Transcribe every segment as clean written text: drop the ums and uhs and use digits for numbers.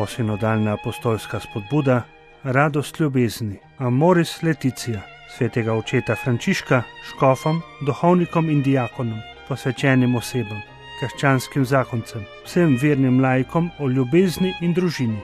Posinodalna apostolska spodbuda, radost ljubezni, Amoris Laetitia, svetega očeta Frančiška, škofom, duhovnikom in diakonom, posvečenim osebam, krščanskim zakoncem, vsem vernim laikom o ljubezni in družini.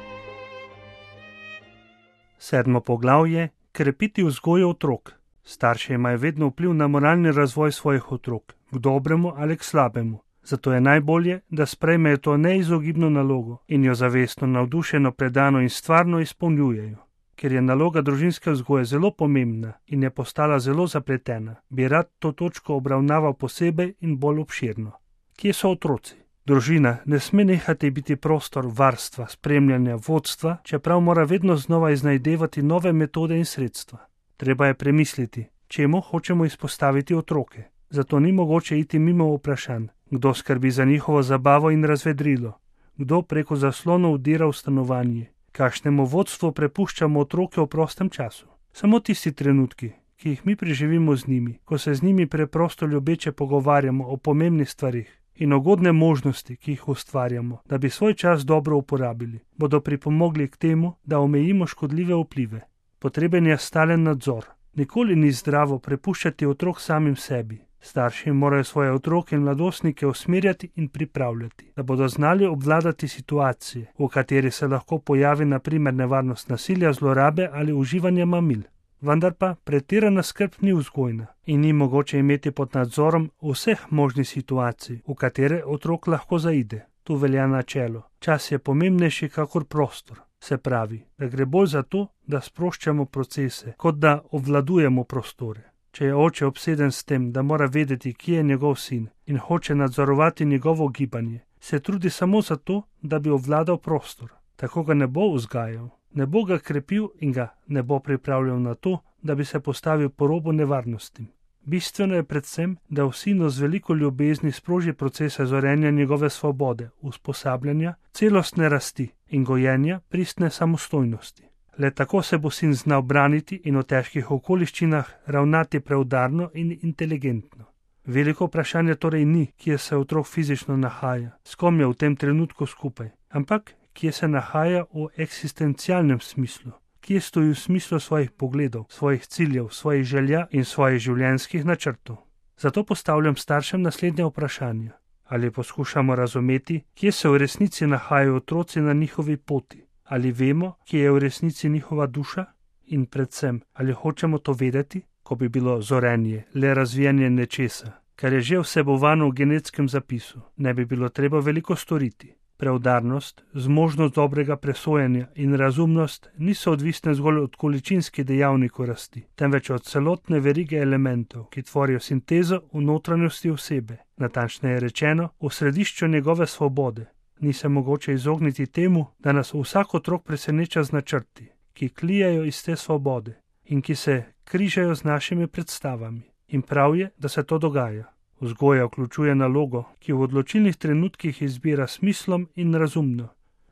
7. poglavje: krepiti vzgojo otrok. Starši imajo vedno vpliv na moralni razvoj svojih otrok, k dobremu ali k slabemu. Zato je najbolje, da sprejmejo to neizogibno nalogo in jo zavestno, navdušeno, predano in stvarno izpolnjujejo. Ker je naloga družinske vzgoje zelo pomembna in je postala zelo zapletena, bi rad to točko obravnaval posebej in bolj obširno. Kje so otroci? Družina ne sme nehati biti prostor varstva, spremljanja, vodstva, čeprav mora vedno znova iznajdevati nove metode in sredstva. Treba je premisliti, čemu hočemo izpostaviti otroke. Zato ni mogoče iti mimo vprašanj, kdo skrbi za njihovo zabavo in razvedrilo, kdo preko zaslonov vdira v stanovanje, kakšnemu vodstvu prepuščamo otroke v prostem času. Samo tisti trenutki, ki jih mi preživimo z njimi, ko se z njimi preprosto ljubeče pogovarjamo o pomembnih stvarih in ugodne možnosti, ki jih ustvarjamo, da bi svoj čas dobro uporabili, bodo pripomogli k temu, da omejimo škodljive vplive. Potreben je stalen nadzor. Nikoli ni zdravo prepuščati otrok samim sebi. Starši morajo svoje otroke in mladostnike usmerjati in pripravljati, da bodo znali obvladati situacije, v kateri se lahko pojavi na primer nevarnost nasilja, zlorabe ali uživanja mamil. Vendar pa pretirana skrb ni vzgojna in ni mogoče imeti pod nadzorom vseh možnih situacij, v katere otrok lahko zaide. Tu velja načelo: čas je pomembnejši kakor prostor. Se pravi, da gre bolj za to, da sproščamo procese, kot da obvladujemo prostore. Če je oče obseden s tem, da mora vedeti, kje je njegov sin in hoče nadzorovati njegovo gibanje, se trudi samo zato, da bi obvladal prostor. Tako ga ne bo vzgajal, ne bo ga krepil in ga ne bo pripravljal na to, da bi se postavil po robu nevarnostim. Bistveno je predvsem, da v sinu z veliko ljubezni sproži procese zorenja njegove svobode, usposabljanja, celostne rasti in gojenja pristne samostojnosti. Le tako se bo sin znal braniti in v težkih okoliščinah ravnati preudarno in inteligentno. Veliko vprašanje torej ni, kje se otrok fizično nahaja, s kom je v tem trenutku skupaj, ampak kje se nahaja v eksistencialnem smislu, kje stoji v smislu svojih pogledov, svojih ciljev, svojih želja in svojih življenjskih načrtov. Zato postavljam staršem naslednje vprašanje: ali poskušamo razumeti, kje se v resnici nahajajo otroci na njihovi poti? Ali vemo, kje je v resnici njihova duša? In predvsem, ali hočemo to vedeti, ko bi bilo zorenje le razvijanje nečesa, kar je že vsebovano v genetskem zapisu, ne bi bilo treba veliko storiti. Preudarnost, zmožnost dobrega presojanja in razumnost niso odvisne zgolj od količinskih dejavnikov rasti, temveč od celotne verige elementov, ki tvorijo sintezo v notranjosti osebe, natančneje rečeno, v središču njegove svobode. Ni se mogoče izogniti temu, da nas vsak otrok preseneča z načrti, ki klijajo iz te svobode in ki se križajo z našimi predstavami. In prav je, da se to dogaja. Vzgoja vključuje nalogo, ki v odločilnih trenutkih izbira smislom in razumno.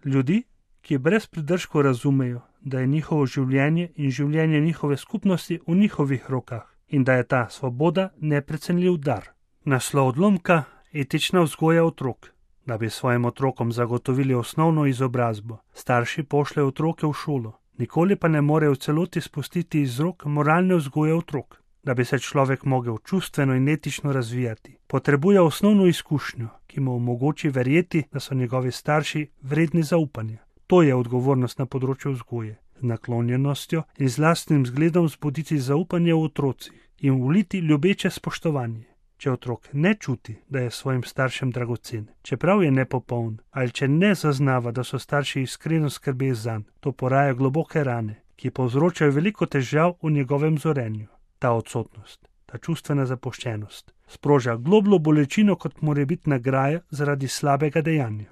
Ljudi, ki brez pridržkov razumejo, da je njihovo življenje in življenje njihove skupnosti v njihovih rokah in da je ta svoboda neprecenljiv dar. Naslov odlomka: etična vzgoja otrok. Da bi svojim otrokom zagotovili osnovno izobrazbo, starši pošljejo otroke v šolo, nikoli pa ne morejo v celoti spustiti iz rok moralne vzgoje otrok. Da bi se človek mogel čustveno in etično razvijati, potrebuje osnovno izkušnjo, ki mu omogoči verjeti, da so njegovi starši vredni zaupanja. To je odgovornost na področju vzgoje, z naklonjenostjo in z lastnim zgledom vzbuditi zaupanje v otrocih in vliti ljubeče spoštovanje. Če otrok ne čuti, da je svojim staršem dragocen, čeprav je nepopoln, ali če ne zaznava, da so starši iskreno skrbeli zanj, to poraja globoke rane, ki povzročajo veliko težav v njegovem zorenju. Ta odsotnost, ta čustvena zapuščenost, sproža globljo bolečino kot morebitna graja zaradi slabega dejanja.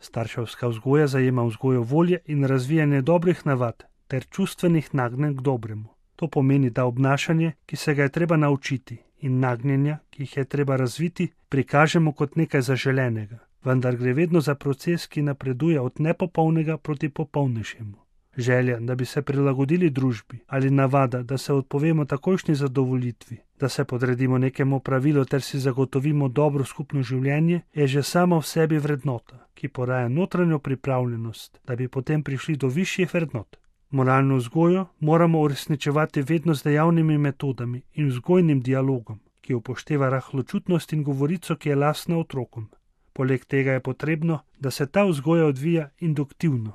Starševska vzgoja zajema vzgojo volje in razvijanje dobrih navad ter čustvenih nagnjenj k dobremu. To pomeni, da obnašanje, ki se ga je treba naučiti, in nagnjenja, ki jih je treba razviti, prikažemo kot nekaj zaželenega, vendar gre vedno za proces, ki napreduje od nepopolnega proti popolnejšemu. Želja, da bi se prilagodili družbi, ali navada, da se odpovemo takojšnji zadovoljitvi, Da se podredimo nekemu pravilu ter si zagotovimo dobro skupno življenje, je že samo v sebi vrednota, ki poraja notranjo pripravljenost, da bi potem prišli do višjih vrednot. Moralno vzgojo moramo uresničevati vedno z dejavnimi metodami in vzgojnim dialogom, ki upošteva rahločutnost in govorico, ki je lastna otrokom. Poleg tega je potrebno, da se ta vzgoja odvija induktivno.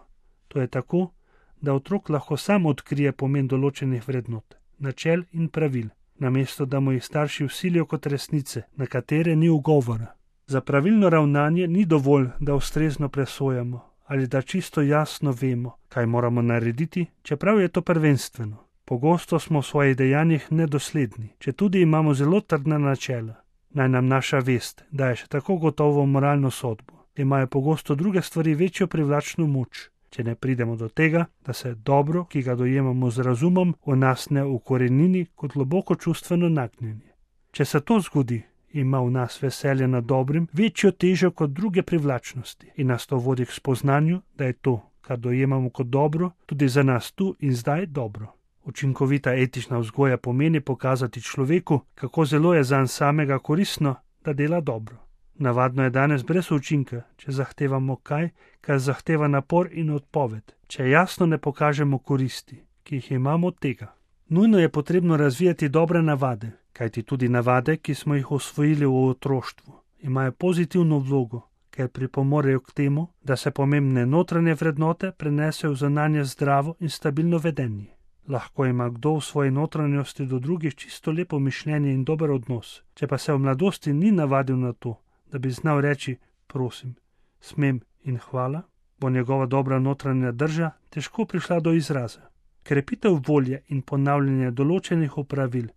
To je tako, da otrok lahko sam odkrije pomen določenih vrednot, načel in pravil, namesto da mu jih starši vsilijo kot resnice, na katere ni ugovora. Za pravilno ravnanje ni dovolj, da ustrezno presojamo ali da čisto jasno vemo, kaj moramo narediti, čeprav je to prvenstveno. Pogosto smo v svojih dejanjih nedosledni, četudi imamo zelo trdna načela. Naj nam naša vest daje še tako gotovo moralno sodbo. Imajo pogosto druge stvari večjo privlačno moč, če ne pridemo do tega, da se dobro, ki ga dojemamo z razumom, v nas ne ukorenini kot globoko čustveno nagnjenje. Če se to zgodi, ima v nas veselje nad dobrim večjo težo kot druge privlačnosti in nas to vodi k spoznanju, da je to, kar dojemamo kot dobro, tudi za nas tu in zdaj dobro. Učinkovita etična vzgoja pomeni pokazati človeku, kako zelo je zanj samega koristno, da dela dobro. Navadno je danes brez učinka, če zahtevamo kaj, kar zahteva napor in odpoved, če jasno ne pokažemo koristi, ki jih imamo od tega. Nujno je potrebno razvijati dobre navade, kajti tudi navade, ki smo jih osvojili v otroštvu, imajo pozitivno vlogo, ker pripomorejo k temu, da se pomembne notranje vrednote prenesejo v zunanje zdravo in stabilno vedenje. Lahko ima kdo v svoji notranjosti do drugih čisto lepo mišljenje in dober odnos, če pa se v mladosti ni navadil na to, da bi znal reči prosim, smem in hvala, bo njegova dobra notranja drža težko prišla do izraza. Krepitev volje in ponavljanje določenih opravil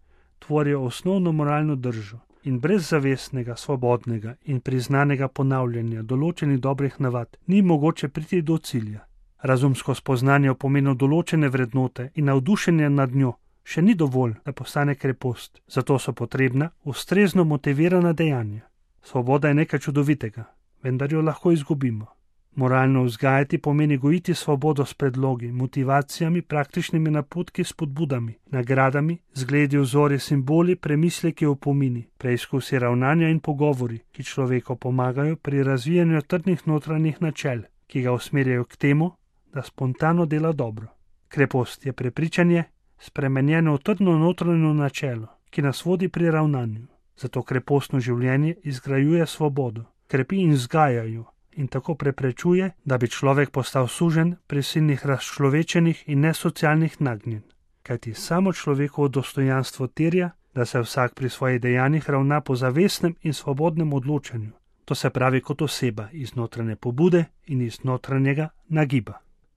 tvorijo osnovno moralno držo in brez zavestnega, svobodnega in priznanega ponavljanja določenih dobrih navad ni mogoče priti do cilja. Razumsko spoznanje o pomenu določene vrednote in navdušenje nad njo še ni dovolj, da postane krepost, zato so potrebna ustrezno motivirana dejanja. Svoboda je nekaj čudovitega, vendar jo lahko izgubimo. Moralno vzgajati pomeni gojiti svobodo s predlogi, motivacijami, praktičnimi napotki, spodbudami, nagradami, zgledi, vzori, simboli, premisleki, opomini, preizkusi ravnanja in pogovori, ki človeku pomagajo pri razvijanju trdnih notranjih načel, ki ga usmerjajo k temu, da spontano dela dobro. Krepost je prepričanje, spremenjeno v trdno notranjo načelo, ki nas vodi pri ravnanju. Zato krepostno življenje izgrajuje svobodo, krepi in vzgajajo in tako preprečuje, da bi človek postal suženj prisilnih razčlovečenih in nesocialnih nagnjenj. Kajti samo človekovo dostojanstvo terja, da se vsak pri svojih dejanjih ravna po zavestnem in svobodnem odločanju. To se pravi kot oseba iz notranje pobude in iz notranjega nagiba.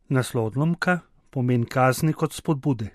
Naslov odlomka pomeni kazni kot spodbude.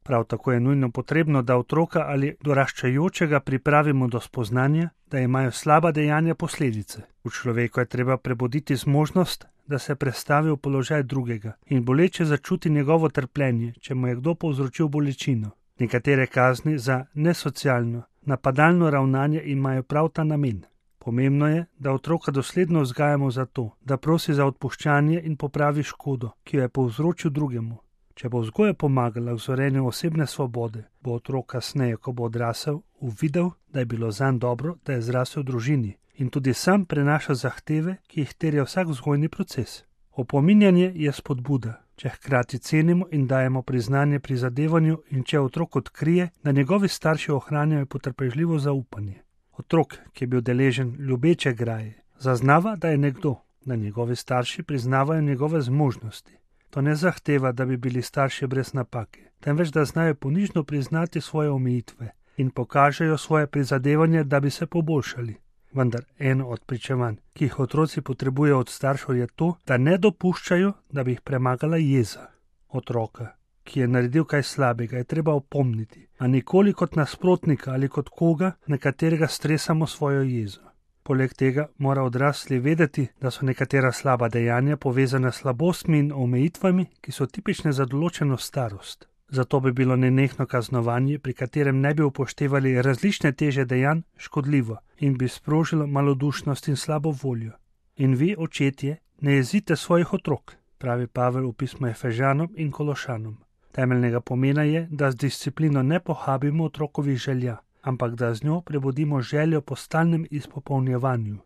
Prav tako je nujno potrebno, da otroka ali doraščajočega pripravimo do spoznanja, da imajo slaba dejanja posledice. V človeku je treba prebuditi zmožnost, da se prestavi v položaj drugega in boleče začuti njegovo trpljenje, če mu je kdo povzročil bolečino. Nekatere kazni za nesocialno, napadalno ravnanje imajo prav ta namen. Pomembno je, da otroka dosledno vzgajamo za to, da prosi za odpuščanje in popravi škodo, ki jo je povzročil drugemu. Če bo vzgoja pomagala v zorenju osebne svobode, bo otrok kasneje, ko bo odrasel, uvidel, da je bilo zanj dobro, da je zrasel v družini in tudi sam prenaša zahteve, ki jih terja vsak vzgojni proces. Opominjanje je spodbuda, če hkrati cenimo in dajemo priznanje prizadevanju in če otrok odkrije, da njegovi starši ohranjajo potrpežljivo zaupanje. Otrok, ki je bil deležen ljubeče graje, zaznava, da je nekdo, da njegovi starši priznavajo njegove zmožnosti. To ne zahteva, da bi bili starši brez napake, temveč da znajo ponižno priznati svoje omejitve in pokažejo svoje prizadevanje, da bi se poboljšali. Vendar eno od pričevanj, ki jih otroci potrebujejo od staršev, je to, da ne dopuščajo, da bi jih premagala jeza. Otroka, ki je naredil kaj slabega, je treba opomniti, a nikoli kot nasprotnika ali kot koga, na katerega stresamo svojo jezo. Poleg tega mora odrasli vedeti, da so nekatera slaba dejanja povezana s slabostmi in omejitvami, ki so tipične za določeno starost. Zato bi bilo nenehno kaznovanje, pri katerem ne bi upoštevali različne teže dejanj, škodljivo in bi sprožilo malodušnost in slabo voljo. In vi, očetje, ne jezite svojih otrok, pravi Pavel v pismu Efežanom in Kološanom. Temeljnega pomena je, da z disciplino ne pohabimo otrokovih želja, ampak da z njo prebudimo željo po stalnem izpopolnjevanju.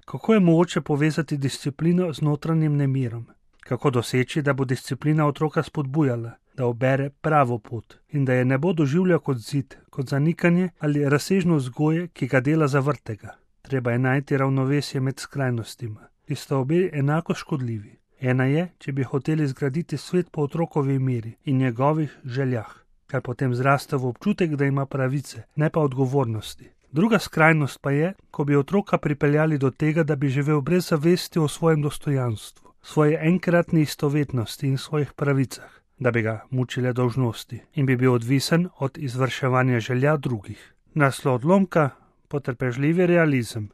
Kako je mogoče povezati disciplino z notranjim nemirom? Kako doseči, da bo disciplina otroka spodbujala, da ubere pravo pot in da je ne bo doživljal kot zid, kot zanikanje ali razsežno vzgoje, ki ga dela zavrtega. Treba je najti ravnovesje med skrajnostima, ki sta obe enako škodljivi. Ena je, če bi hoteli zgraditi svet po otrokovi meri in njegovih željah, kar potem zraste v občutek, da ima pravice, ne pa odgovornosti. Druga skrajnost pa je, ko bi otroka pripeljali do tega, da bi živel brez zavesti o svojem dostojanstvu, svoje enkratni istovetnosti in svojih pravicah, da bi ga mučile dolžnosti in bi bil odvisen od izvrševanja želja drugih. Naslov odlomka: potrpežljivi realizem.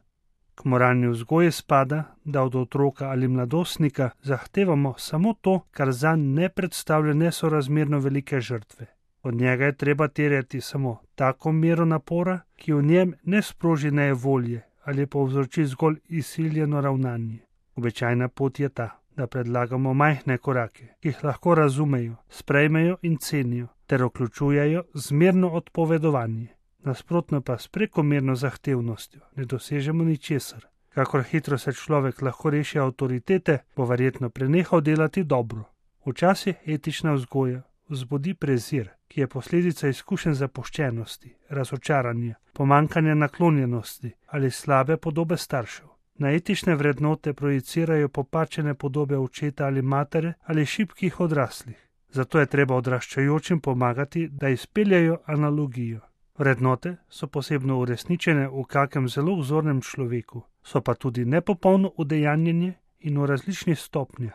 K moralni vzgoji spada, da od otroka ali mladostnika zahtevamo samo to, kar zanj ne predstavlja nesorazmerno velike žrtve. Od njega je treba terjati samo tako mero napora, ki v njem ne sproži nejevolje ali povzroči zgolj izsiljeno ravnanje. Običajna pot je ta, da predlagamo majhne korake, ki jih lahko razumejo, sprejmejo in cenijo, ter vključujejo zmerno odpovedovanje. Nasprotno pa s prekomerno zahtevnostjo ne dosežemo ničesar. Kakor hitro se človek lahko reši avtoritete, bo verjetno prenehal delati dobro. Včasih etična vzgoja vzbudi prezir, ki je posledica izkušenj zapuščenosti, razočaranja, pomanjkanja naklonjenosti ali slabe podobe staršev. Na etične vrednote projicirajo popačene podobe očeta ali matere ali šibkih odraslih. Zato je treba odraščajočim pomagati, da izpeljajo analogijo. Vrednote so posebno uresničene v kakem zelo vzornem človeku, so pa tudi nepopolno udejanjenje in v različnih stopnjah.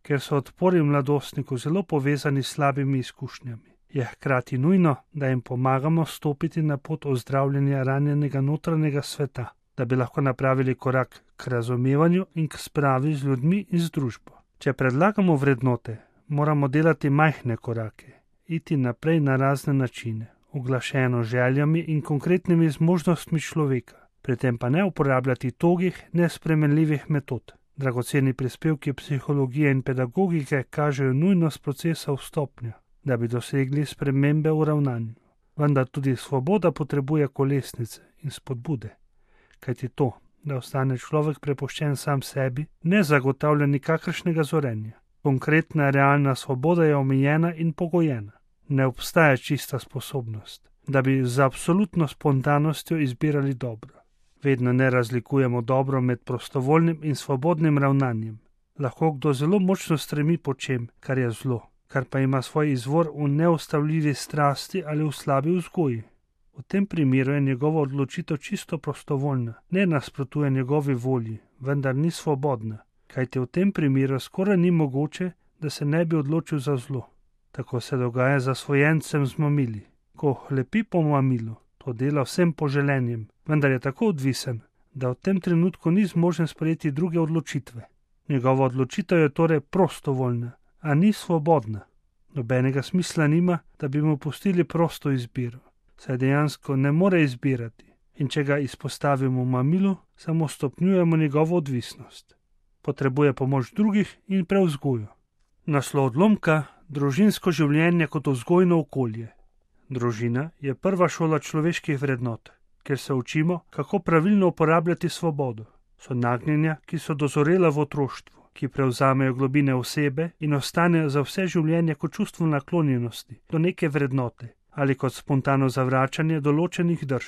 Ker so odpori mladostniku zelo povezani s slabimi izkušnjami, je hkrati nujno, da jim pomagamo stopiti na pot ozdravljanja ranjenega notranjega sveta, da bi lahko napravili korak k razumevanju in k spravi z ljudmi in z družbo. Če predlagamo vrednote, moramo delati majhne korake, iti naprej na razne načine, uglašeno željami in konkretnimi zmožnostmi človeka, pri tem pa ne uporabljati togih, nespremenljivih metod. Dragoceni prispevki psihologije in pedagogike kažejo nujnost procesa vstopnja, da bi dosegli spremembe v ravnanju. Vendar tudi svoboda potrebuje kolesnice in spodbude, kajti to, da ostane človek prepuščen sam sebi, ne zagotavlja nikakršnega zorenja. Konkretna realna svoboda je omejena in pogojena. Ne obstaja čista sposobnost, da bi z absolutno spontanostjo izbirali dobro. Vedno ne razlikujemo dobro med prostovoljnim in svobodnim ravnanjem. Lahko kdo zelo močno stremi po čem, kar je zlo, kar pa ima svoj izvor v neustavljivi strasti ali v slabi vzgoji. V tem primeru je njegova odločitev čisto prostovoljna, ne nasprotuje njegovi volji, vendar ni svobodna, kajti v tem primeru skoraj ni mogoče, da se ne bi odločil za zlo. Tako se dogaja zasvojencem z mamili. Ko hlepi po mamilu, to dela vsem poželenjem, vendar je tako odvisen, da v tem trenutku ni zmožen sprejeti druge odločitve. Njegova odločitev je torej prostovoljna, a ni svobodna. Nobenega smisla nima, da bi mu pustili prosto izbiro, saj dejansko ne more izbirati in če ga izpostavimo mamilu, samo stopnjujemo njegovo odvisnost. Potrebuje pomoč drugih in prevzgojo. Naslov odlomka: družinsko življenje kot vzgojno okolje. Družina je prva šola človeških vrednot, kjer se učimo, kako pravilno uporabljati svobodo. So nagnjenja, ki so dozorela v otroštvu, ki prevzamejo globine osebe in ostanejo za vse življenje kot čustvo naklonjenosti do neke vrednote ali kot spontano zavračanje določenih drž.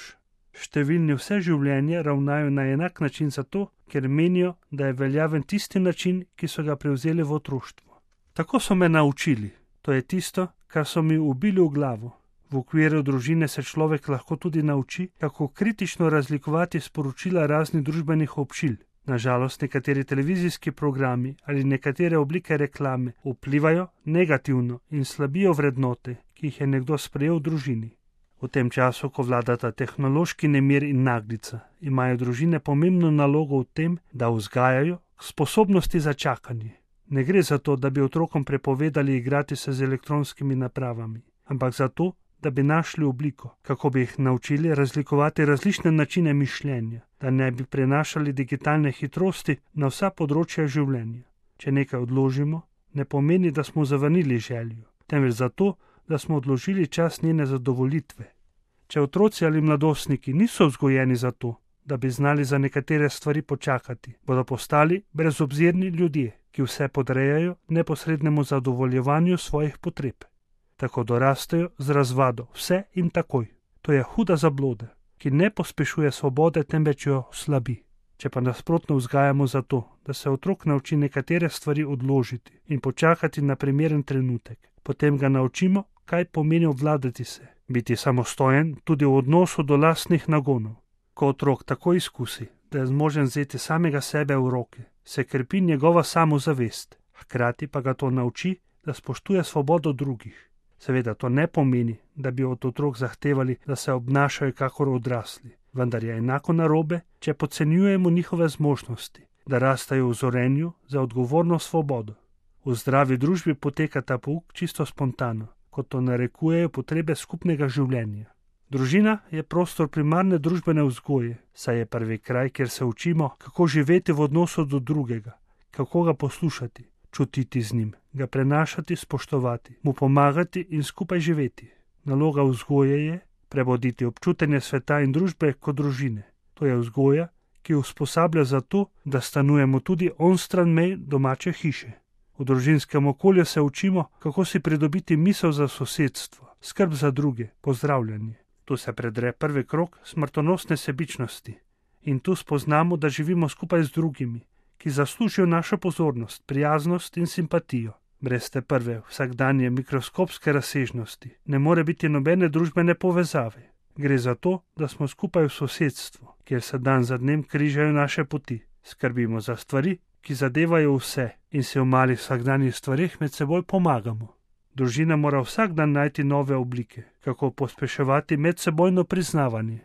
Številni vse življenje ravnajo na enak način zato, ker menijo, da je veljaven tisti način, ki so ga prevzeli v otroštvu. Tako so me naučili, to je tisto, kar so mi ubili v glavo. V okviru družine se človek lahko tudi nauči, kako kritično razlikovati sporočila raznih družbenih občil. Nažalost, nekateri televizijski programi ali nekatere oblike reklame vplivajo negativno in slabijo vrednote, ki jih je nekdo sprejel v družini. V tem času, ko vladata tehnološki nemir in naglica, imajo družine pomembno nalogo v tem, da vzgajajo sposobnosti za čakanje. Ne gre za to, da bi otrokom prepovedali igrati se z elektronskimi napravami, ampak za to, da bi našli obliko, kako bi jih naučili razlikovati različne načine mišljenja, da ne bi prenašali digitalne hitrosti na vsa področja življenja. Če nekaj odložimo, ne pomeni, da smo zavrnili željo, temveč zato, da smo odložili čas njene zadovoljitve. Če otroci ali mladostniki niso vzgojeni za to, da bi znali za nekatere stvari počakati, bodo postali brezobzirni ljudje, ki vse podrejajo neposrednemu zadovoljevanju svojih potreb. Tako dorastejo z razvado vse in takoj. To je huda zabloda, ki ne pospešuje svobode, temveč jo slabi. Če pa nasprotno vzgajamo za to, da se otrok nauči nekatere stvari odložiti in počakati na primeren trenutek, potem ga naučimo, kaj pomeni obvladati se, biti samostojen tudi v odnosu do lastnih nagonov. Ko otrok tako izkusi, da je zmožen vzeti samega sebe v roke, se krepi njegova samozavest, hkrati pa ga to nauči, da spoštuje svobodo drugih. Seveda to ne pomeni, da bi od otrok zahtevali, da se obnašajo kakor odrasli, vendar je enako narobe, če podcenjujemo njihove zmožnosti, da rastajo v zorenju za odgovorno svobodo. V zdravi družbi poteka ta pouk čisto spontano, kot to narekujejo potrebe skupnega življenja. Družina je prostor primarne družbene vzgoje, saj je prvi kraj, kjer se učimo, kako živeti v odnosu do drugega, kako ga poslušati, čutiti z njim, ga prenašati, spoštovati, mu pomagati in skupaj živeti. Naloga vzgoje je prebuditi občutenje sveta in družbe kot družine. To je vzgoja, ki usposablja za to, da stanujemo tudi onstran mej domače hiše. V družinskem okolju se učimo, kako si pridobiti misel za sosedstvo, skrb za druge, pozdravljanje. Tu se predre prvi krog smrtonosne sebičnosti in tu spoznamo, da živimo skupaj z drugimi, ki zaslužijo našo pozornost, prijaznost in simpatijo. Brez te prve vsakdanje mikroskopske razsežnosti ne more biti nobene družbene povezave. Gre za to, da smo skupaj v sosedstvu, kjer se dan za dnem križajo naše poti. Skrbimo za stvari, ki zadevajo vse in se v malih vsakdanjih stvarih med seboj pomagamo. Družina mora vsak dan najti nove oblike, kako pospeševati medsebojno priznavanje.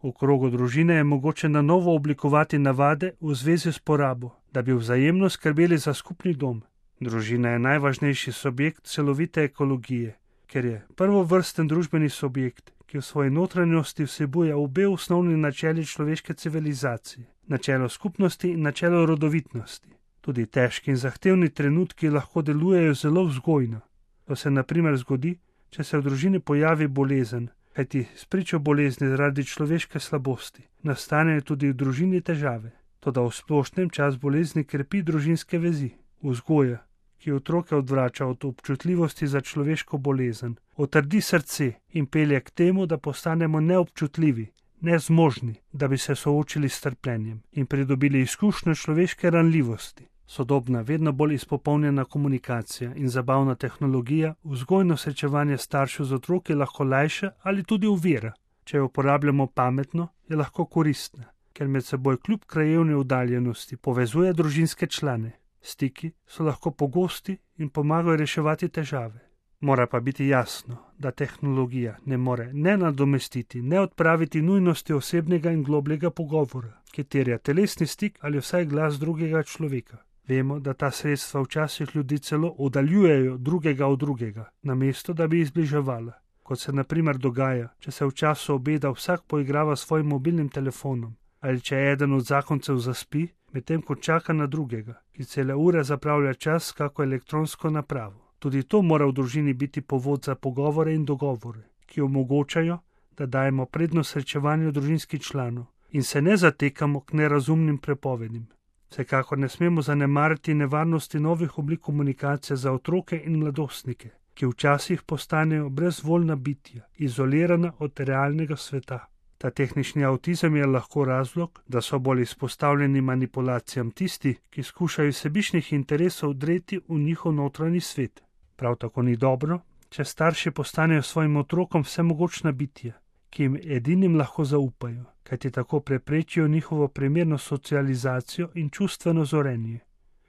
V krogu družine je mogoče na novo oblikovati navade v zvezi s porabo, da bi vzajemno skrbeli za skupni dom. Družina je najvažnejši subjekt celovite ekologije, ker je prvovrsten družbeni subjekt, ki v svoji notranjosti vsebuje obe osnovni načeli človeške civilizacije, načelo skupnosti in načelo rodovitnosti. Tudi težki in zahtevni trenutki lahko delujejo zelo vzgojno. To se na primer zgodi, če se v družini pojavi bolezen, kajti spričo bolezni zaradi človeške slabosti nastanejo tudi v družini težave. Toda v splošnem čas bolezni krepi družinske vezi. Vzgoja, ki otroke odvrača od občutljivosti za človeško bolezen, otrdi srce in pelje k temu, da postanemo neobčutljivi, nezmožni, da bi se soočili s trpljenjem in pridobili izkušnjo človeške ranljivosti. Sodobna, vedno bolj izpopolnjena komunikacija in zabavna tehnologija vzgojno srečevanje staršev z otroki lahko lajša ali tudi ovira. Če jo uporabljamo pametno, je lahko koristna, ker med seboj kljub krajevni oddaljenosti povezuje družinske člane. Stiki so lahko pogosti in pomagajo reševati težave. Mora pa biti jasno, da tehnologija ne more ne nadomestiti, ne odpraviti nujnosti osebnega in globljega pogovora, ki terja telesni stik ali vsaj glas drugega človeka. Vemo, da ta sredstva včasih ljudi celo oddaljujejo drugega od drugega, namesto da bi jih zbliževala. Kot se na primer dogaja, če se v času obeda vsak poigrava s svojim mobilnim telefonom, ali če eden od zakoncev zaspi, medtem ko čaka na drugega, ki cele ure zapravlja čas s kako elektronsko napravo. Tudi to mora v družini biti povod za pogovore in dogovore, ki omogočajo, da dajemo prednost srečevanju družinskih članov in se ne zatekamo k nerazumnim prepovedim. Vsekakor ne smemo zanemariti nevarnosti novih oblik komunikacije za otroke in mladostnike, ki včasih postanejo brezvoljna bitja, izolirana od realnega sveta. Ta tehnični avtizem je lahko razlog, da so bolj izpostavljeni manipulacijam tisti, ki skušajo iz sebičnih interesov dreti v njihov notranji svet. Prav tako ni dobro, če starši postanejo svojim otrokom vsemogočna bitja, ki jim edinim lahko zaupajo, kajti tako preprečijo njihovo primerno socializacijo in čustveno zorenje.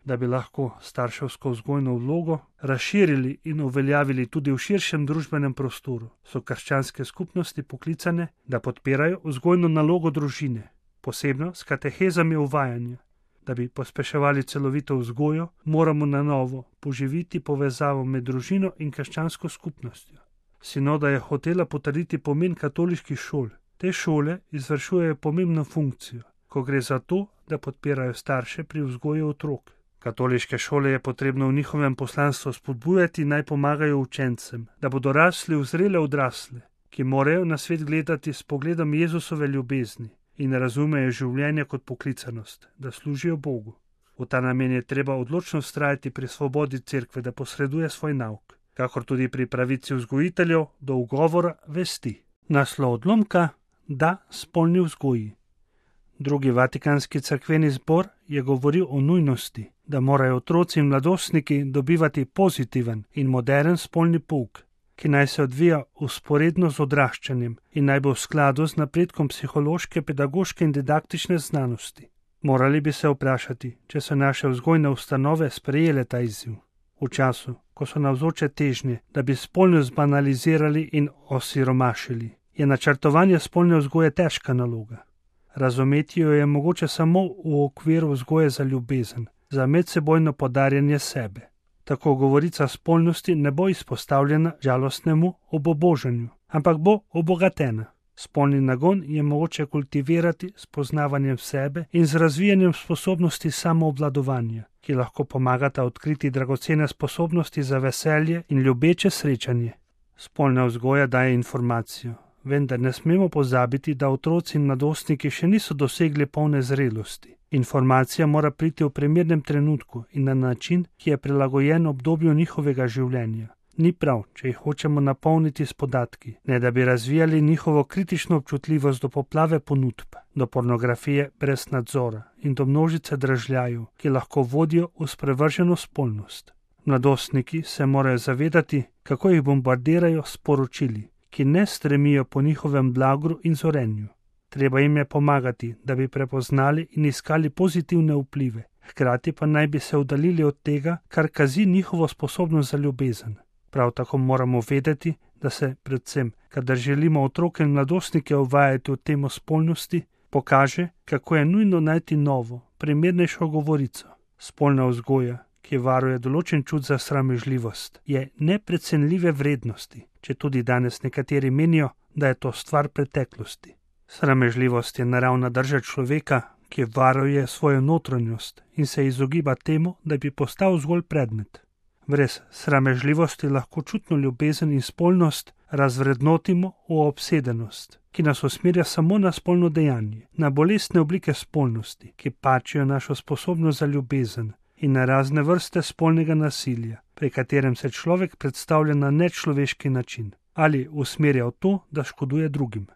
Da bi lahko starševsko vzgojno vlogo razširili in uveljavili tudi v širšem družbenem prostoru, so krščanske skupnosti poklicane, da podpirajo vzgojno nalogo družine, posebno s katehezami uvajanja. Da bi pospeševali celovito vzgojo, moramo na novo poživiti povezavo med družino in krščansko skupnostjo. Sinoda je hotela potrditi pomen katoliških šol. Te šole izvršujejo pomembno funkcijo, ko gre za to, da podpirajo starše pri vzgoji otrok. Katoliške šole je potrebno v njihovem poslanstvu spodbujati, naj pomagajo učencem, da bodo rasli v zrele odrasle, ki morajo na svet gledati s pogledom Jezusove ljubezni in razumejo življenje kot poklicanost, da služijo Bogu. V ta namen je treba odločno vztrajati pri svobodi cerkve, da posreduje svoj nauk, kakor tudi pri pravici vzgojiteljev do ugovora vesti. Naslov odlomka: Da spolni vzgoji. Drugi Vatikanski cerkveni zbor je govoril o nujnosti, da morajo otroci in mladostniki dobivati pozitiven in moderen spolni pouk, ki naj se odvija vzporedno z odraščanjem in naj bo v skladu z napredkom psihološke, pedagoške in didaktične znanosti. Morali bi se vprašati, če so naše vzgojne ustanove sprejele ta izziv. V času, ko so navzoče težnje, da bi spolnost banalizirali in osiromašili, je načrtovanje spolne vzgoje težka naloga. Razumeti jo je mogoče samo v okviru vzgoje za ljubezen, za medsebojno podarjanje sebe. Tako govorica spolnosti ne bo izpostavljena žalostnemu obobožanju, ampak bo obogatena. Spolni nagon je mogoče kultivirati s poznavanjem sebe in z razvijanjem sposobnosti samoobvladovanja, ki lahko pomagata odkriti dragocene sposobnosti za veselje in ljubeče srečanje. Spolna vzgoja daje informacijo, vendar ne smemo pozabiti, da otroci in mladostniki še niso dosegli polne zrelosti. Informacija mora priti v primernem trenutku in na način, ki je prilagojen obdobju njihovega življenja. Ni prav, če jih hočemo napolniti s podatki, ne da bi razvijali njihovo kritično občutljivost do poplave ponudb, do pornografije brez nadzora in do množice dražljajev, ki lahko vodijo v sprevrženo spolnost. Mladostniki se morajo zavedati, kako jih bombardirajo s poročili, ki ne stremijo po njihovem blagru in zorenju. Treba jim je pomagati, da bi prepoznali in iskali pozitivne vplive, hkrati pa naj bi se oddaljili od tega, kar kazi njihovo sposobnost za ljubezen. Prav tako moramo vedeti, da se predvsem, kadar želimo otroke in mladostnike uvajati v temo spolnosti, pokaže, kako je nujno najti novo, primernejšo govorico. Spolna vzgoja, ki varuje določen čut za sramežljivost, je neprecenljive vrednosti, če tudi danes nekateri menijo, da je to stvar preteklosti. Sramežljivost je naravna drža človeka, ki varuje svojo notranjost in se izogiba temu, da bi postal zgolj predmet. Brez sramežljivosti lahko čutno ljubezen in spolnost razvrednotimo v obsedenost, ki nas usmerja samo na spolno dejanje, na bolestne oblike spolnosti, ki pačijo našo sposobnost za ljubezen, in na razne vrste spolnega nasilja, pri katerem se človek predstavlja na nečloveški način ali usmerja v to, da škoduje drugim.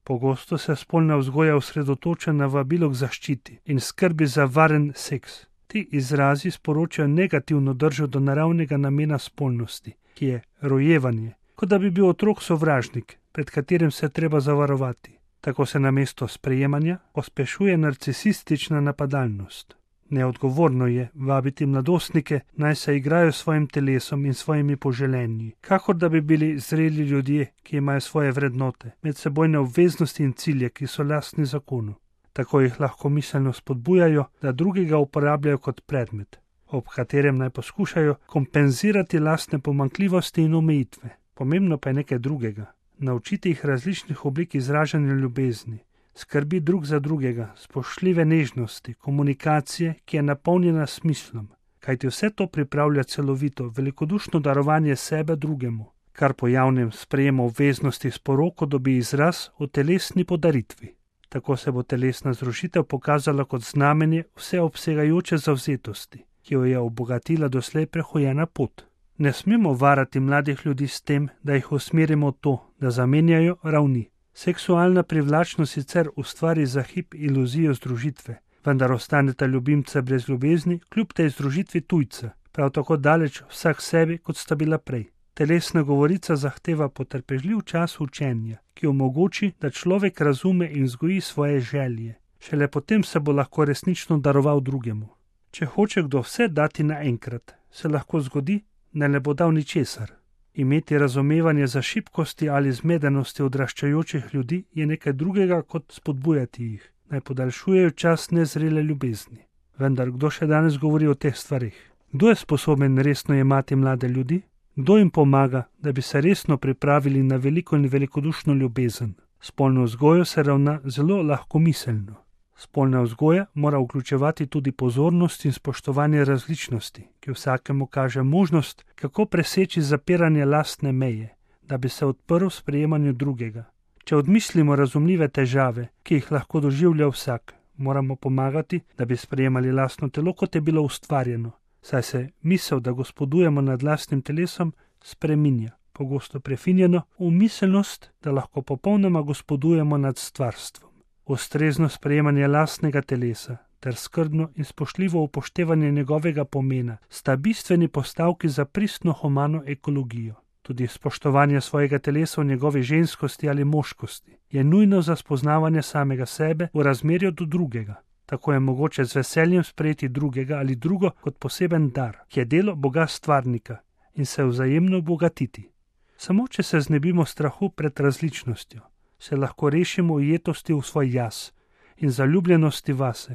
Pogosto se spolna vzgoja osredotoča na vabilo k zaščiti in skrbi za varen seks. Ti izrazi sporočajo negativno držo do naravnega namena spolnosti, ki je rojevanje, kot da bi bil otrok sovražnik, pred katerim se treba zavarovati. Tako se namesto sprejemanja pospešuje narcisistična napadalnost. Neodgovorno je vabiti mladostnike, naj se igrajo s svojim telesom in svojimi poželenji, kakor da bi bili zreli ljudje, ki imajo svoje vrednote, medsebojne obveznosti in cilje, ki so lastni zakonu. Tako jih lahko miselno spodbujajo, da drugega uporabljajo kot predmet, ob katerem naj poskušajo kompenzirati lastne pomanjkljivosti in omejitve. Pomembno pa je nekaj drugega. Naučiti jih različnih oblik izražanja ljubezni, skrbi drug za drugega, spoštljive nežnosti, komunikacije, ki je napolnjena s smislom, kajti vse to pripravlja celovito, velikodušno darovanje sebe drugemu, kar po javnem sprejemu obveznosti s poroko dobi izraz v telesni podaritvi. Tako se bo telesna zrušitev pokazala kot znamenje vseobsegajoče zavzetosti, ki jo je obogatila doslej prehojena pot. Ne smemo varati mladih ljudi s tem, da jih usmerimo v to, da zamenjajo ravni. Seksualna privlačnost sicer ustvari za hip iluzijo združitve, vendar ostaneta ljubimca brez ljubezni, kljub tej združitvi tujca, prav tako daleč vsak sebi, kot sta bila prej. Telesna govorica zahteva potrpežljiv čas učenja, ki omogoči, da človek razume in vzgoji svoje želje. Šele potem se bo lahko resnično daroval drugemu. Če hoče kdo vse dati naenkrat, se lahko zgodi, da ne bo dal ničesar. Imeti razumevanje za šibkosti ali zmedenosti odraščajočih ljudi je nekaj drugega, kot spodbujati jih, naj podaljšujejo čas nezrele ljubezni. Vendar kdo še danes govori o teh stvarih? Kdo je sposoben resno jemati mlade ljudi? Kdo jim pomaga, da bi se resno pripravili na veliko in velikodušno ljubezen? Spolno vzgojo se ravna zelo lahkomiselno. Spolna vzgoja mora vključevati tudi pozornost in spoštovanje različnosti, ki vsakemu kaže možnost, kako preseči zapiranje lastne meje, da bi se odprl sprejemanju drugega. Če odmislimo razumljive težave, ki jih lahko doživlja vsak, moramo pomagati, da bi sprejemali lastno telo, kot je bilo ustvarjeno, saj se misel, da gospodujemo nad lastnim telesom, spreminja, pogosto prefinjeno, v miselnost, da lahko popolnoma gospodujemo nad stvarstvom. Ustrezno sprejemanje lastnega telesa ter skrbno in spoštljivo upoštevanje njegovega pomena sta bistveni postavki za pristno humano ekologijo. Tudi spoštovanje svojega telesa v njegovi ženskosti ali moškosti je nujno za spoznavanje samega sebe v razmerju do drugega. Tako je mogoče z veseljem sprejeti drugega ali drugo kot poseben dar, ki je delo Boga stvarnika, in se vzajemno obogatiti. Samo če se znebimo strahu pred različnostjo, se lahko rešimo ujetosti v svoj jaz in zaljubljenosti vase.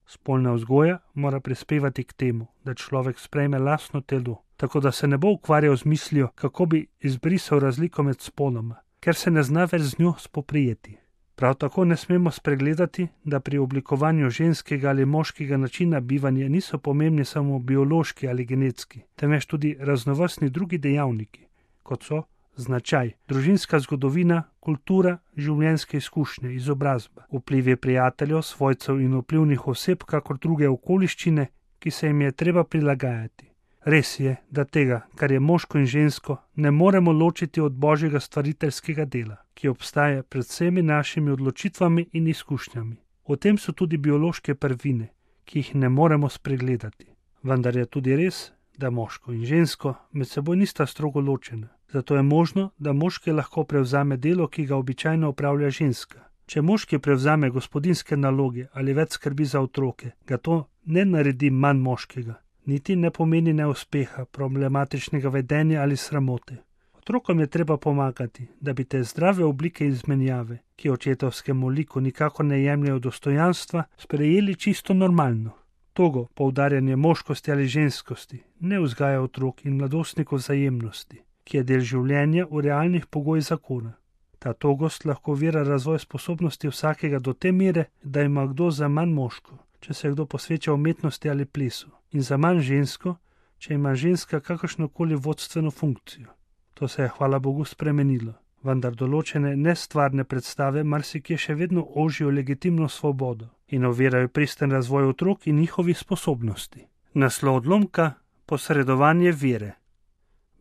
Spolna vzgoja mora prispevati k temu, da človek sprejme lastno telo, tako da se ne bo ukvarjal z mislijo, kako bi izbrisal razliko med spoloma, ker se ne zna več z njo spoprijeti. Prav tako ne smemo spregledati, da pri oblikovanju ženskega ali moškega načina bivanja niso pomembni samo biološki ali genetski, temveč tudi raznovrstni drugi dejavniki, kot so značaj, družinska zgodovina, kultura, življenjske izkušnje, izobrazba, vplivi prijateljev, svojcev in vplivnih oseb, kakor druge okoliščine, ki se jim je treba prilagajati. Res je, da tega, kar je moško in žensko, ne moremo ločiti od božjega stvariteljskega dela, ki obstaja pred vsemi našimi odločitvami in izkušnjami. V tem so tudi biološke prvine, ki jih ne moremo spregledati. Vendar je tudi res, da moško in žensko med seboj nista strogo ločena. Zato je možno, da moški lahko prevzame delo, ki ga običajno opravlja ženska. Če moški prevzame gospodinjske naloge ali več skrbi za otroke, ga to ne naredi manj moškega, niti ne pomeni neuspeha, problematičnega vedenja ali sramote. Otrokom je treba pomagati, da bi te zdrave oblike izmenjave, ki očetovskemu liku nikakor ne jemljejo dostojanstva, sprejeli čisto normalno. Togo poudarjanje moškosti ali ženskosti ne vzgaja otrok in mladostnikov vzajemnosti, ki je del življenja v realnih pogojih zakona. Ta togost lahko ovira razvoj sposobnosti vsakega do te mere, da ima kdo za manj moško, če se kdo posveča umetnosti ali plesu, in za manj žensko, če ima ženska kakršnokoli vodstveno funkcijo. To se je, hvala Bogu, spremenilo, vendar določene nestvarne predstave marsikje še vedno ožijo legitimno svobodo in ovirajo pristen razvoj otrok in njihovih sposobnosti. Naslov odlomka: posredovanje vere.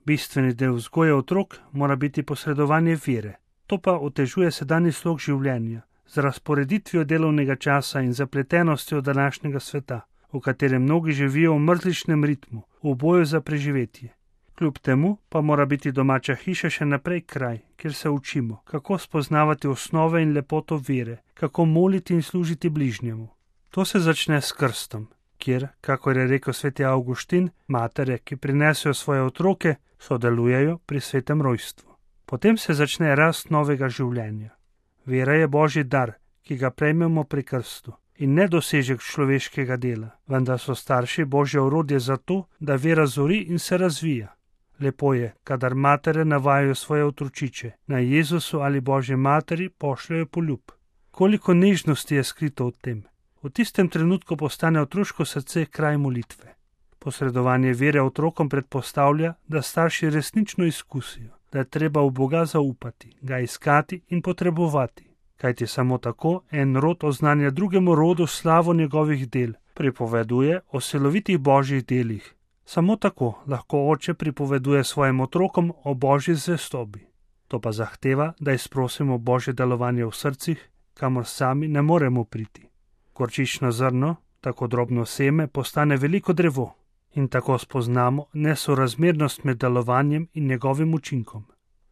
Bistveni del vzgoje otrok mora biti posredovanje vere. To pa otežuje sedanji slog življenja z razporeditvijo delovnega časa in zapletenostjo današnjega sveta, v katerem mnogi živijo v mrzličnem ritmu, v boju za preživetje. Kljub temu pa mora biti domača hiša še naprej kraj, kjer se učimo, kako spoznavati osnove in lepoto vere, kako moliti in služiti bližnjemu. To se začne s krstom, kjer, kakor je rekel sveti Avguštin, matere, ki prinesejo svoje otroke, sodelujejo pri svetem rojstvu. Potem se začne rast novega življenja. Vera je božji dar, ki ga prejmemo pri krstu, in ne dosežek človeškega dela, vendar so starši božje orodje za to, da vera zori in se razvija. Lepo je, kadar matere navajajo svoje otročiče, naj Jezusu ali Božji materi pošljajo poljub. Koliko nežnosti je skrito v tem. V tistem trenutku postane otroško srce kraj molitve. Posredovanje vere otrokom predpostavlja, da starši resnično izkusijo, da je treba v Boga zaupati, ga iskati in potrebovati. Kajti samo tako en rod oznanja drugemu rodu slavo njegovih del, pripoveduje o silovitih božjih delih. Samo tako lahko oče pripoveduje svojim otrokom o božji zvestobi. To pa zahteva, da izprosimo božje delovanje v srcih, kamor sami ne moremo priti. Gorčično zrno, tako drobno seme, postane veliko drevo in tako spoznamo nesorazmernost med delovanjem in njegovim učinkom.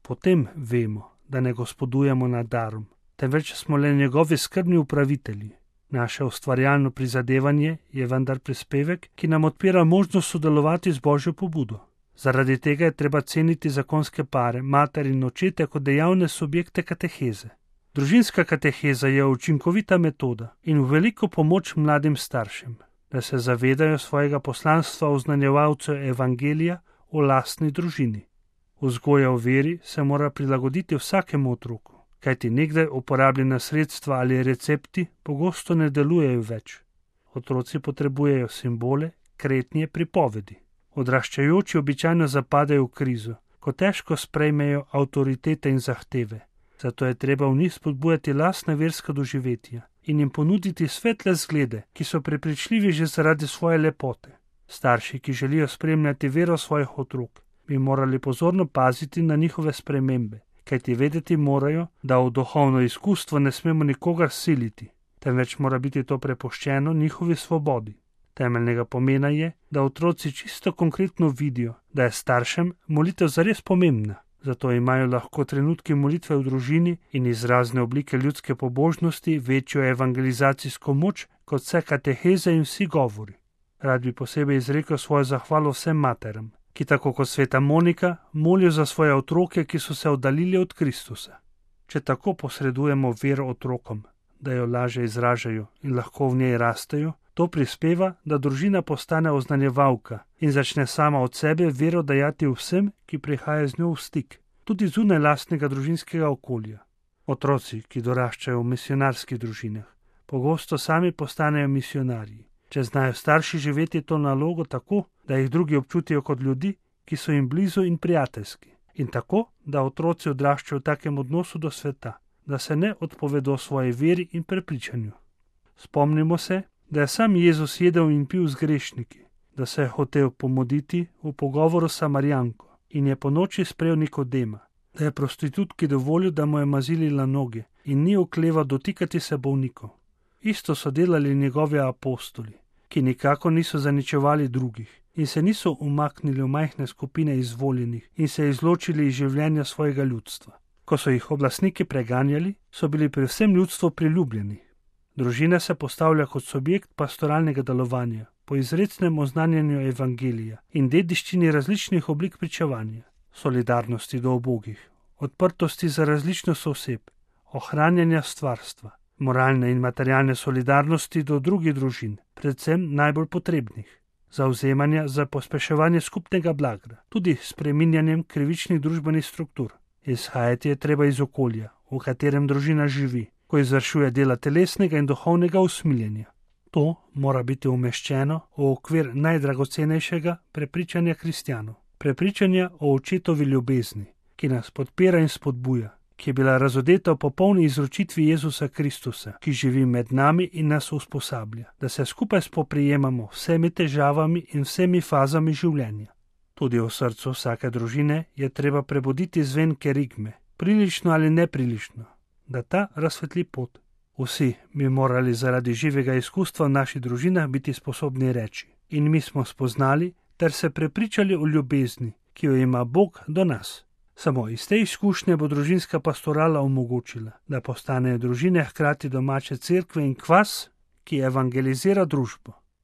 Potem vemo, da ne gospodujemo nad darom, temveč smo le njegovi skrbni upravitelji. Naše ustvarjalno prizadevanje je vendar prispevek, ki nam odpira možnost sodelovati z božjo pobudo. Zaradi tega je treba ceniti zakonske pare, mater in očete kot dejavne subjekte kateheze. Družinska kateheza je učinkovita metoda in v veliko pomoč mladim staršem, da se zavedajo svojega poslanstva oznanjevalcev evangelija v lastni družini. Vzgoja v veri se mora prilagoditi vsakemu otroku, kajti nekdaj uporabljena sredstva ali recepti pogosto ne delujejo več. Otroci potrebujejo simbole, kretnje, pripovedi. Odraščajoči običajno zapadajo v krizo, ko težko sprejmejo avtoritete in zahteve. Zato je treba v njih spodbujati lastna verska doživetja in jim ponuditi svetle zglede, ki so prepričljivi že zaradi svoje lepote. Starši, ki želijo spremljati vero svojih otrok, bi morali pozorno paziti na njihove spremembe, kajti vedeti morajo, da v duhovno izkustvo ne smemo nikogar siliti, temveč mora biti to prepuščeno njihovi svobodi. Temeljnega pomena je, da otroci čisto konkretno vidijo, da je staršem molitev zares pomembna. Zato imajo lahko trenutki molitve v družini in izrazne oblike ljudske pobožnosti večjo evangelizacijsko moč kot vse kateheze in vsi govori. Rad bi posebej izrekel svojo zahvalo vsem materam, ki tako kot sveta Monika molijo za svoje otroke, ki so se oddaljili od Kristusa. Če tako posredujemo vero otrokom, da jo lažje izražajo in lahko v njej rastejo, to prispeva, da družina postane oznanjevalka in začne sama od sebe vero dajati vsem, ki prihajajo z njo v stik, tudi zunaj lastnega družinskega okolja. Otroci, ki doraščajo v misionarskih družinah, pogosto sami postanejo misionarji, če znajo starši živeti to nalogo tako, da jih drugi občutijo kot ljudi, ki so jim blizu in prijateljski, in tako, da otroci odraščajo v takem odnosu do sveta, da se ne odpovedo svoji veri in prepričanju. Spomnimo se, da je sam Jezus jedel in pil z grešniki, da se je hotel pomoditi v pogovoru s Samarijanko in je po noči sprejel Nikodema, da je prostitutki dovolil, da mu je mazilila noge in ni okleval dotikati se bolnikov. Isto so delali njegovi apostoli, ki nikako niso zaničevali drugih in se niso umaknili v majhne skupine izvoljenih in se izločili iz življenja svojega ljudstva. Ko so jih oblastniki preganjali, so bili pri vsem ljudstvu priljubljeni. Družina se postavlja kot subjekt pastoralnega delovanja, po izrecnem oznanjanju evangelija in dediščini različnih oblik pričevanja, solidarnosti do ubogih, odprtosti za različnost oseb, ohranjanja stvarstva, moralne in materialne solidarnosti do drugih družin, predvsem najbolj potrebnih, zavzemanja za pospeševanje skupnega blaga, tudi s spreminjanjem krivičnih družbenih struktur. Izhajati je treba iz okolja, v katerem družina živi, ko izvršuje dela telesnega in duhovnega usmiljenja. To mora biti umeščeno v okvir najdragocenejšega prepričanja kristjanov, prepričanja o očetovi ljubezni, ki nas podpira in spodbuja, ki je bila razodeta v popolni izročitvi Jezusa Kristusa, ki živi med nami in nas usposablja, da se skupaj spoprijemamo vsemi težavami in vsemi fazami življenja. Tudi v srcu vsake družine je treba prebuditi zven kerigme, prilično ali neprilično, da ta razsvetli pot. Vsi bi morali zaradi živega izkustva v naših družinah biti sposobni reči: in mi smo spoznali ter se prepričali o ljubezni, ki jo ima Bog do nas. Samo iz te izkušnje bo družinska pastorala omogočila, da postanejo družine hkrati domače cerkve in kvas, ki evangelizira družbo.